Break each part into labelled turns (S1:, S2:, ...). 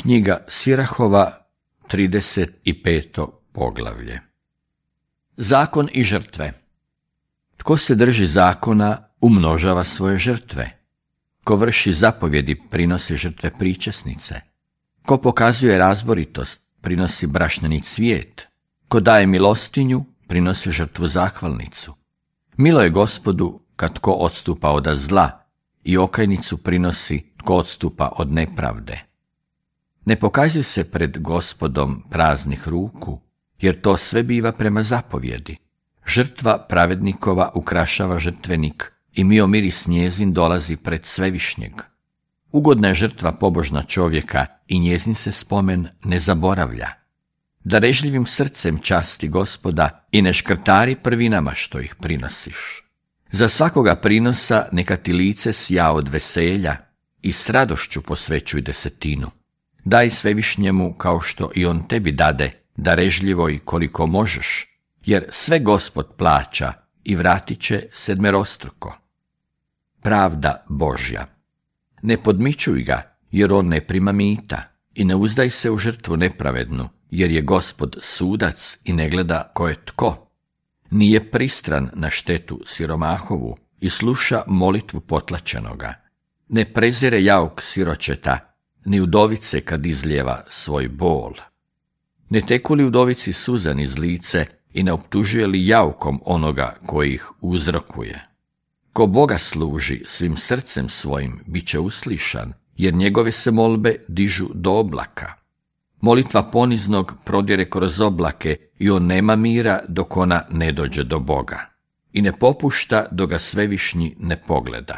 S1: Knjiga Sirahova, 35. poglavlje. Zakon i žrtve. Tko se drži zakona, umnožava svoje žrtve. Ko vrši zapovjedi, prinosi žrtve pričesnice. Ko pokazuje razboritost, prinosi brašnjeni cvijet. Ko daje milostinju, prinosi žrtvu zahvalnicu. Milo je Gospodu kad tko odstupa od zla i okajnicu prinosi tko odstupa od nepravde. Ne pokazuj se pred Gospodom praznih ruku, jer to sve biva prema zapovjedi. Žrtva pravednikova ukrašava žrtvenik i mio miris njezin dolazi pred Svevišnjeg. Ugodna je žrtva pobožna čovjeka i njezin se spomen ne zaboravlja. Darežljivim srcem časti Gospoda i ne škrtari prvinama što ih prinosiš. Za svakoga prinosa neka ti lice sja od veselja i s radošću posvećuj desetinu. Daj Svevišnjemu kao što i on tebi dade, darežljivo i koliko možeš, jer sve Gospod plaća i vratit će sedmerostruko. Pravda Božja. Ne podmićuj ga, jer on ne prima mita, i ne uzdaj se u žrtvu nepravednu, jer je Gospod sudac i ne gleda ko je tko. Nije pristran na štetu siromahovu i sluša molitvu potlačenoga. Ne prezire jauk siročeta, ni udovice kad izlijeva svoj bol. Ne teku li udovici suza niz lice i ne optužuje li jaukom onoga koji ih uzrokuje. Ko Boga služi svim srcem svojim, bit će uslišan, jer njegove se molbe dižu do oblaka. Molitva poniznog prodire kroz oblake i on nema mira dok ona ne dođe do Boga. I ne popušta dok ga Svevišnji ne pogleda.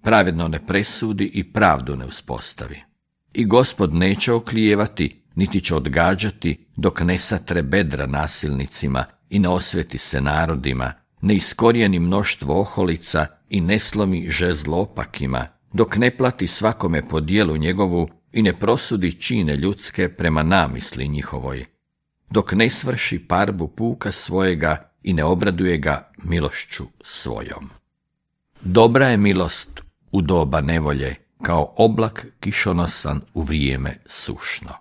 S1: Pravedno ne presudi i pravdu ne uspostavi. I Gospod neće oklijevati, niti će odgađati, dok ne satre bedra nasilnicima i ne osveti se narodima, ne iskorijeni mnoštvo oholica i ne slomi žezlo opakima, dok ne plati svakome po dijelu njegovu i ne prosudi čine ljudske prema namisli njihovoj, dok ne svrši parbu puka svojega i ne obraduje ga milošću svojom. Dobra je milost u doba nevolje, kao oblak kišonosan u vrijeme sušno.